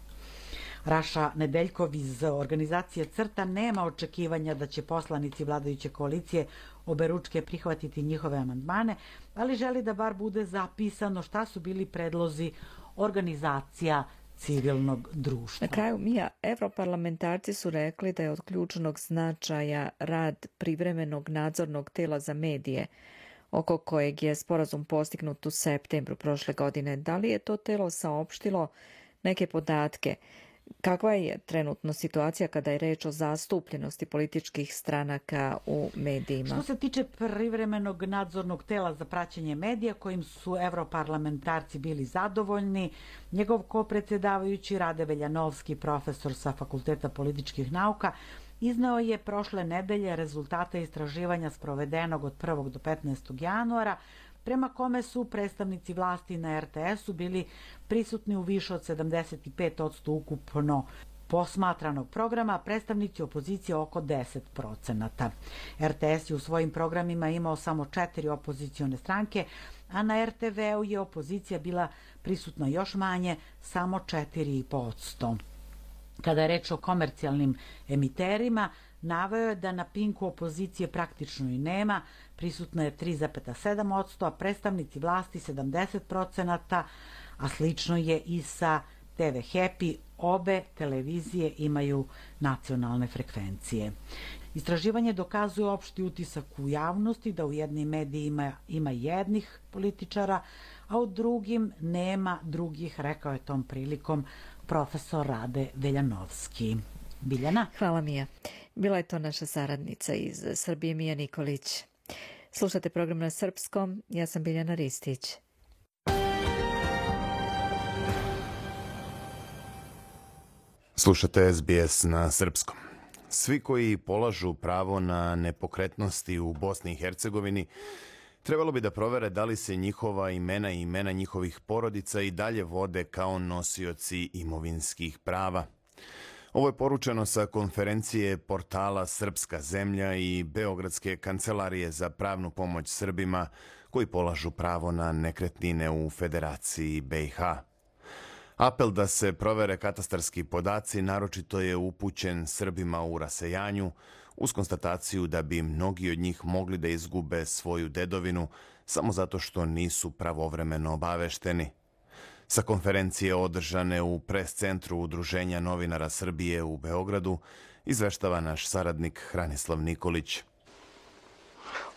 Raša Nedeljkov iz organizacije CRTA nema očekivanja da će poslanici vladajuće koalicije oberučke prihvatiti njihove amandmane, ali želi da bar bude zapisano šta su bili predlozi organizacija civilnog društva. Na kraju, Mija, evroparlamentarci su rekli da je od ključnog značaja rad privremenog nadzornog tela za medije, oko kojeg je sporazum postignut u septembru prošle godine. Da li je to telo saopštilo neke podatke? Kakva je trenutno situacija kada je reč o zastupljenosti političkih stranaka u medijima? Što se tiče privremenog nadzornog tela za praćenje medija, kojim su evroparlamentarci bili zadovoljni, njegov kopredsjedavajući Rade Veljanovski, profesor sa Fakulteta političkih nauka, izneo je prošle nedelje rezultate istraživanja sprovedenog od prvog do petnaestog januara, prema kome su predstavnici vlasti na er te esu bili prisutni u više od sedamdeset pet posto ukupno posmatranog programa, a predstavnici opozicije oko deset procenata. er te es je u svojim programima imao samo četiri opozicione stranke, a na er te veu je opozicija bila prisutna još manje, samo četiri posto. Kada je reč o komercijalnim emiterima, naveo je da na Pinku opozicije praktično i nema, prisutna je tri zarez sedam posto, a predstavnici vlasti sedamdeset procenata, a slično je i sa te ve Happy, obe televizije imaju nacionalne frekvencije. Istraživanje dokazuje opšti utisak u javnosti da u jednim medijima ima jednih političara, a u drugim nema drugih, rekao je tom prilikom profesor Rade Veljanovski. Biljana? Hvala, Mija. Bila je to naša saradnica iz Srbije, Mija Nikolić. Slušate program na srpskom, ja sam Biljana Ristić. Slušate es be es na srpskom. Svi koji polažu pravo na nepokretnosti u Bosni i Hercegovini trebalo bi da provere da li se njihova imena i imena njihovih porodica i dalje vode kao nosioci imovinskih prava. Ovo je poručeno sa konferencije portala Srpska zemlja i Beogradske kancelarije za pravnu pomoć Srbima koji polažu pravo na nekretnine u Federaciji be i ha. Apel da se provere katastarski podaci naročito je upućen Srbima u rasejanju, uz konstataciju da bi mnogi od njih mogli da izgube svoju dedovinu samo zato što nisu pravovremeno obavešteni. Sa konferencije održane u pres centru Udruženja novinara Srbije u Beogradu izveštava naš saradnik Hranislav Nikolić.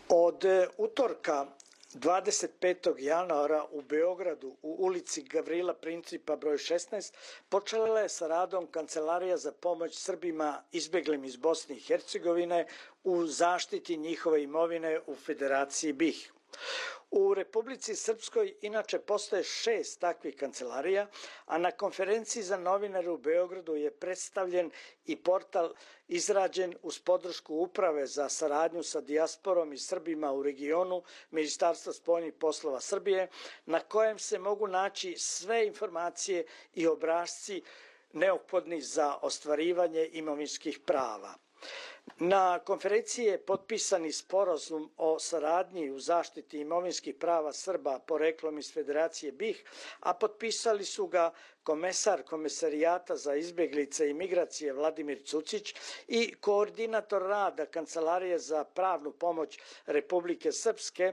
Od utorka dvadeset petog januara u Beogradu u ulici Gavrila Principa broj šesnaest počela je sa radom Kancelarija za pomoć Srbima izbeglim iz Bosne i Hercegovine u zaštiti njihove imovine u Federaciji be i ha. U Republici Srpskoj inače postoje šest takvih kancelarija, a na konferenciji za novinare u Beogradu je predstavljen i portal izrađen uz podršku Uprave za saradnju sa dijasporom i Srbima u regionu Ministarstva spoljnih poslova Srbije, na kojem se mogu naći sve informacije i obrasci neophodni za ostvarivanje imovinskih prava. Na konferenciji je potpisani sporazum o saradnji u zaštiti imovinskih prava Srba poreklom iz Federacije be i ha, a potpisali su ga komesar Komesarijata za izbjeglice i migracije Vladimir Cucić i koordinator rada Kancelarije za pravnu pomoć Republike Srpske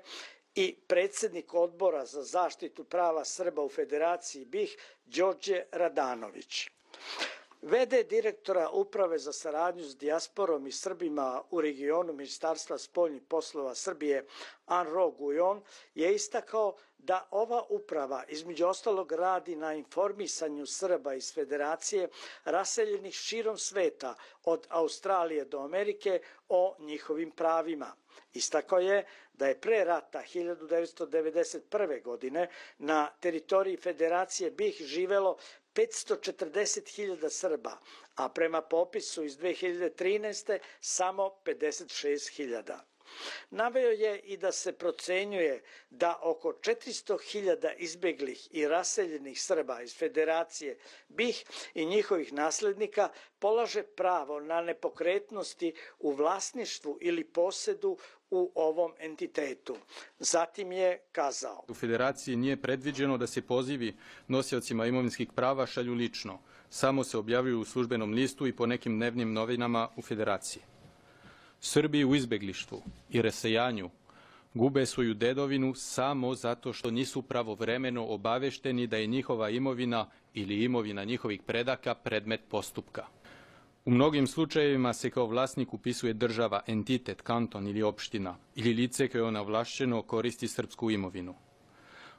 i predsjednik odbora za zaštitu prava Srba u Federaciji be i ha Đorđe Radanović. ve de direktora Uprave za saradnju s dijasporom i Srbima u regionu Ministarstva spoljnih poslova Srbije Anro Gujon je istakao da ova uprava između ostalog radi na informisanju Srba iz Federacije raseljenih širom sveta od Australije do Amerike o njihovim pravima. Istakao je da je pre rata hiljadu devetsto devedeset prve. godine na teritoriji Federacije be i ha živelo petsto četrdeset hiljada Srba, a prema popisu iz dve hiljade trinaeste. samo pedeset šest hiljada. Naveo je i da se procenjuje da oko četiristo hiljada izbeglih i raseljenih Srba iz Federacije B i H i njihovih naslednika polaže pravo na nepokretnosti u vlasništvu ili posedu u ovom entitetu. Zatim je kazao: U Federaciji nije predviđeno da se pozivi nosiocima imovinskih prava šalju lično, samo se objavljuju u službenom listu i po nekim dnevnim novinama u Federaciji. Srbi u izbeglištvu i rasejanju gube svoju dedovinu samo zato što nisu pravovremeno obavešteni da je njihova imovina ili imovina njihovih predaka predmet postupka. U mnogim slučajevima se kao vlasnik upisuje država, entitet, kanton ili opština ili lice koje ona ovlašćeno koristi srpsku imovinu.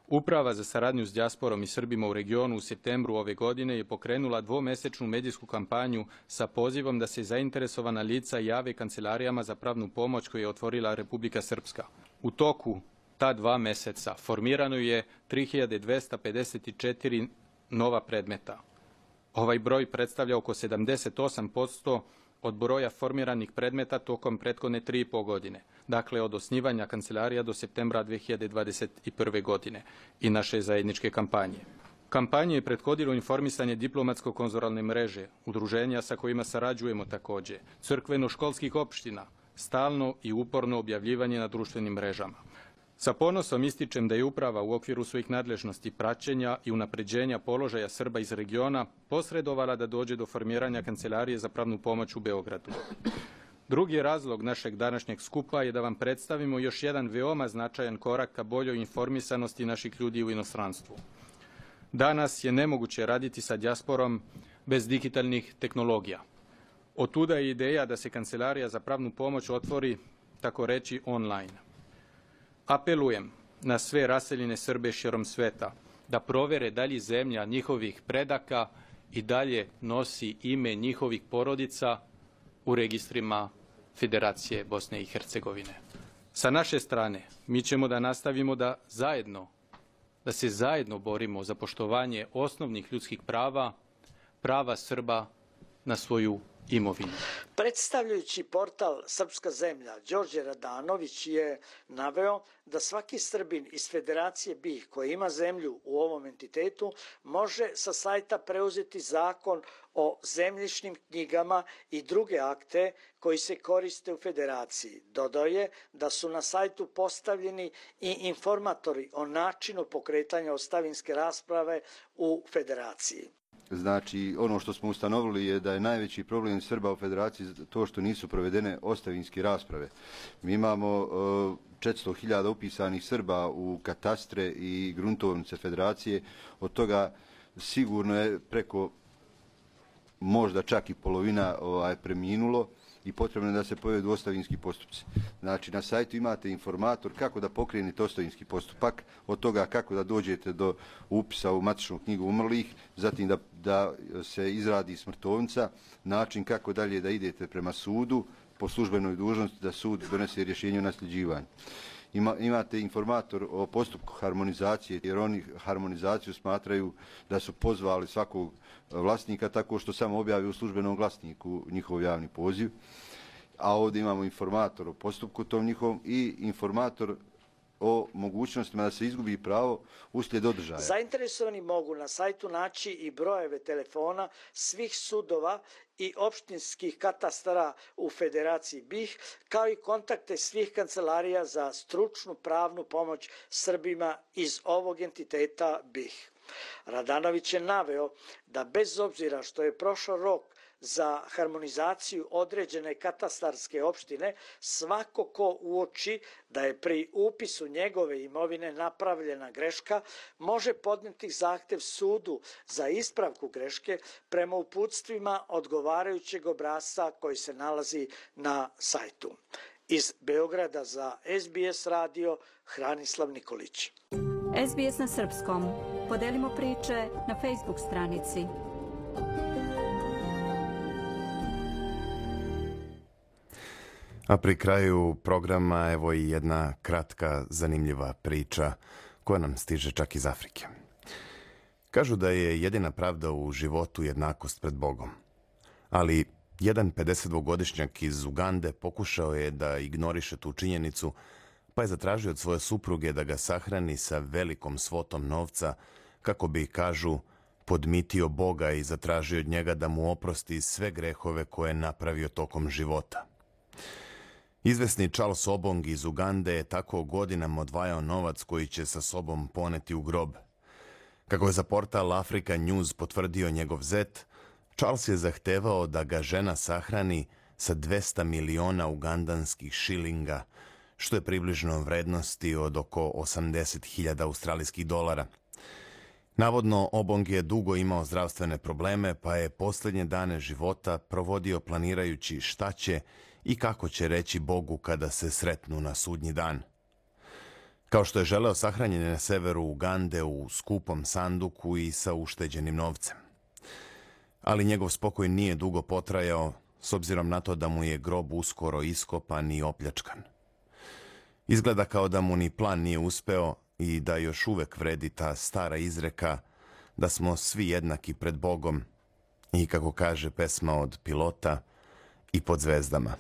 Uprava za saradnju s dijasporom i Srbima u regionu u septembru ove godine je pokrenula dvomesečnu medijsku kampanju sa pozivom da se zainteresovana lica jave kancelarijama za pravnu pomoć koju je otvorila Republika Srpska. U toku ta dva meseca formirano je tri hiljade dvesta pedeset četiri nova predmeta. Ovaj broj predstavlja oko sedamdeset osam posto od broja formiranih predmeta tokom prethodne tri i po godine, dakle od osnivanja kancelarija do septembra dve hiljade dvadeset prve. godine i naše zajedničke kampanje. Kampanje je prethodilo informisanje diplomatsko-konzularne mreže, udruženja sa kojima sarađujemo takođe, crkveno-školskih opština, stalno i uporno objavljivanje na društvenim mrežama. Sa ponosom ističem da je uprava u okviru svojih nadležnosti praćenja i unapređenja položaja Srba iz regiona posredovala da dođe do formiranja Kancelarije za pravnu pomoć u Beogradu. Drugi razlog našeg današnjeg skupa je da vam predstavimo još jedan veoma značajan korak ka boljoj informisanosti naših ljudi u inostranstvu. Danas je nemoguće raditi sa dijasporom bez digitalnih tehnologija. Otuda je ideja da se Kancelarija za pravnu pomoć otvori, tako reći, online. Apelujem na sve raseljene Srbe širom sveta da provere da li zemlja njihovih predaka i dalje nosi ime njihovih porodica u registrima Federacije Bosne i Hercegovine. Sa naše strane mi ćemo da nastavimo da zajedno, da se zajedno borimo za poštovanje osnovnih ljudskih prava, prava Srba na svoju imovinu. Predstavljajući portal Srpska zemlja, Đorđe Radanović je naveo da svaki Srbin iz Federacije B i H koji ima zemlju u ovom entitetu može sa sajta preuzeti zakon o zemljišnim knjigama i druge akte koji se koriste u Federaciji. Dodao je da su na sajtu postavljeni i informatori o načinu pokretanja ostavinske rasprave u Federaciji. Znači, ono što smo ustanovili je da je najveći problem Srba u Federaciji to što nisu provedene ostavinske rasprave. Mi imamo četiristo hiljada upisanih Srba u katastre i gruntovnice Federacije, od toga sigurno je preko možda čak i polovina ovaj, preminulo i potrebno je da se povedu ostavinski postupci. Znači, na sajtu imate informator kako da pokrenete ostavinski postupak, od toga kako da dođete do upisa u matičnu knjigu umrlih, zatim da, da se izradi smrtovnica, način kako dalje da idete prema sudu, po službenoj dužnosti da sud donese rješenje o nasljeđivanju. Ima, imate informator o postupku harmonizacije, jer oni harmonizaciju smatraju da su pozvali svakog vlasnika tako što samo objavi u službenom glasniku njihov javni poziv. A ovdje imamo informator o postupku tom njihovom i informator o mogućnostima da se izgubi pravo uslijed održaja. Zainteresovani mogu na sajtu naći i brojeve telefona svih sudova i opštinskih katastara u Federaciji B i H, kao i kontakte svih kancelarija za stručnu pravnu pomoć Srbima iz ovog entiteta B i H. Radanović je naveo da bez obzira što je prošao rok za harmonizaciju određene katastarske opštine, svako ko uoči da je pri upisu njegove imovine napravljena greška, može podneti zahtev sudu za ispravku greške prema uputstvima odgovarajućeg obrasca koji se nalazi na sajtu. Iz Beograda za S B S radio, Hranislav Nikolić. S B S na srpskom. Podelimo priče na Facebook stranici. A pri kraju programa evo i jedna kratka, zanimljiva priča koja nam stiže čak iz Afrike. Kažu da je jedina pravda u životu jednakost pred Bogom. Ali Jedan pedesetdvogodišnjak iz Ugande pokušao je da ignoriše tu činjenicu, pa je zatražio od svoje supruge da ga sahrani sa velikom svotom novca, kako bi, kažu, podmitio Boga i zatražio od njega da mu oprosti sve grehove koje je napravio tokom života. Izvesni Charles Obong iz Ugande je tako godinama odvajao novac koji će sa sobom poneti u grob. Kako je za portal Africa News potvrdio njegov zet, Charles je zahtevao da ga žena sahrani sa dvesta miliona ugandanskih šilinga, što je približno vrednosti od oko osamdeset hiljada australijskih dolara. Navodno, Obong je dugo imao zdravstvene probleme, pa je posljednje dane života provodio planirajući šta će i kako će reći Bogu kada se sretnu na sudnji dan. Kao što je želeo, sahranjen je na severu Ugande u skupom sanduku i sa ušteđenim novcem. Ali njegov spokoj nije dugo potrajao, s obzirom na to da mu je grob uskoro iskopan i opljačkan. Izgleda kao da mu ni plan nije uspeo i da još uvek vredi ta stara izreka da smo svi jednaki pred Bogom i, kako kaže pesma od Pilota, i pod zvezdama.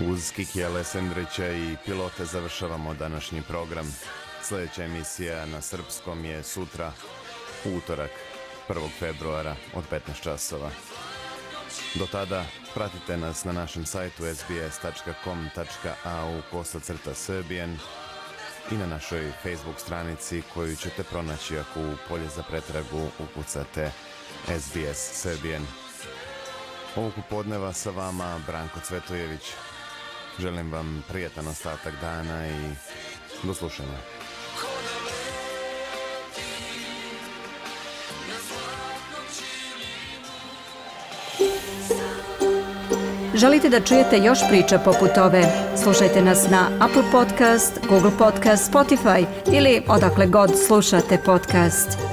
Uz Kikija Lesendrića i Pilote završavamo današnji program. Sljedeća emisija na srpskom je sutra, utorak, prvog februara od petnaest časova. Do tada pratite nas na našem sajtu s b s tačka com tačka a u kosacrta Serbian i na našoj Facebook stranici koju ćete pronaći ako u polje za pretragu ukucate S B S Serbian. Ovog popodneva sa vama Branko Cvetojević. Želim vam prijatan ostatak dana i do slušanja. Želite da čujete još priča poput ove? Slušajte nas na Apple Podcast, Google Podcast, Spotify ili odakle god slušate podcast.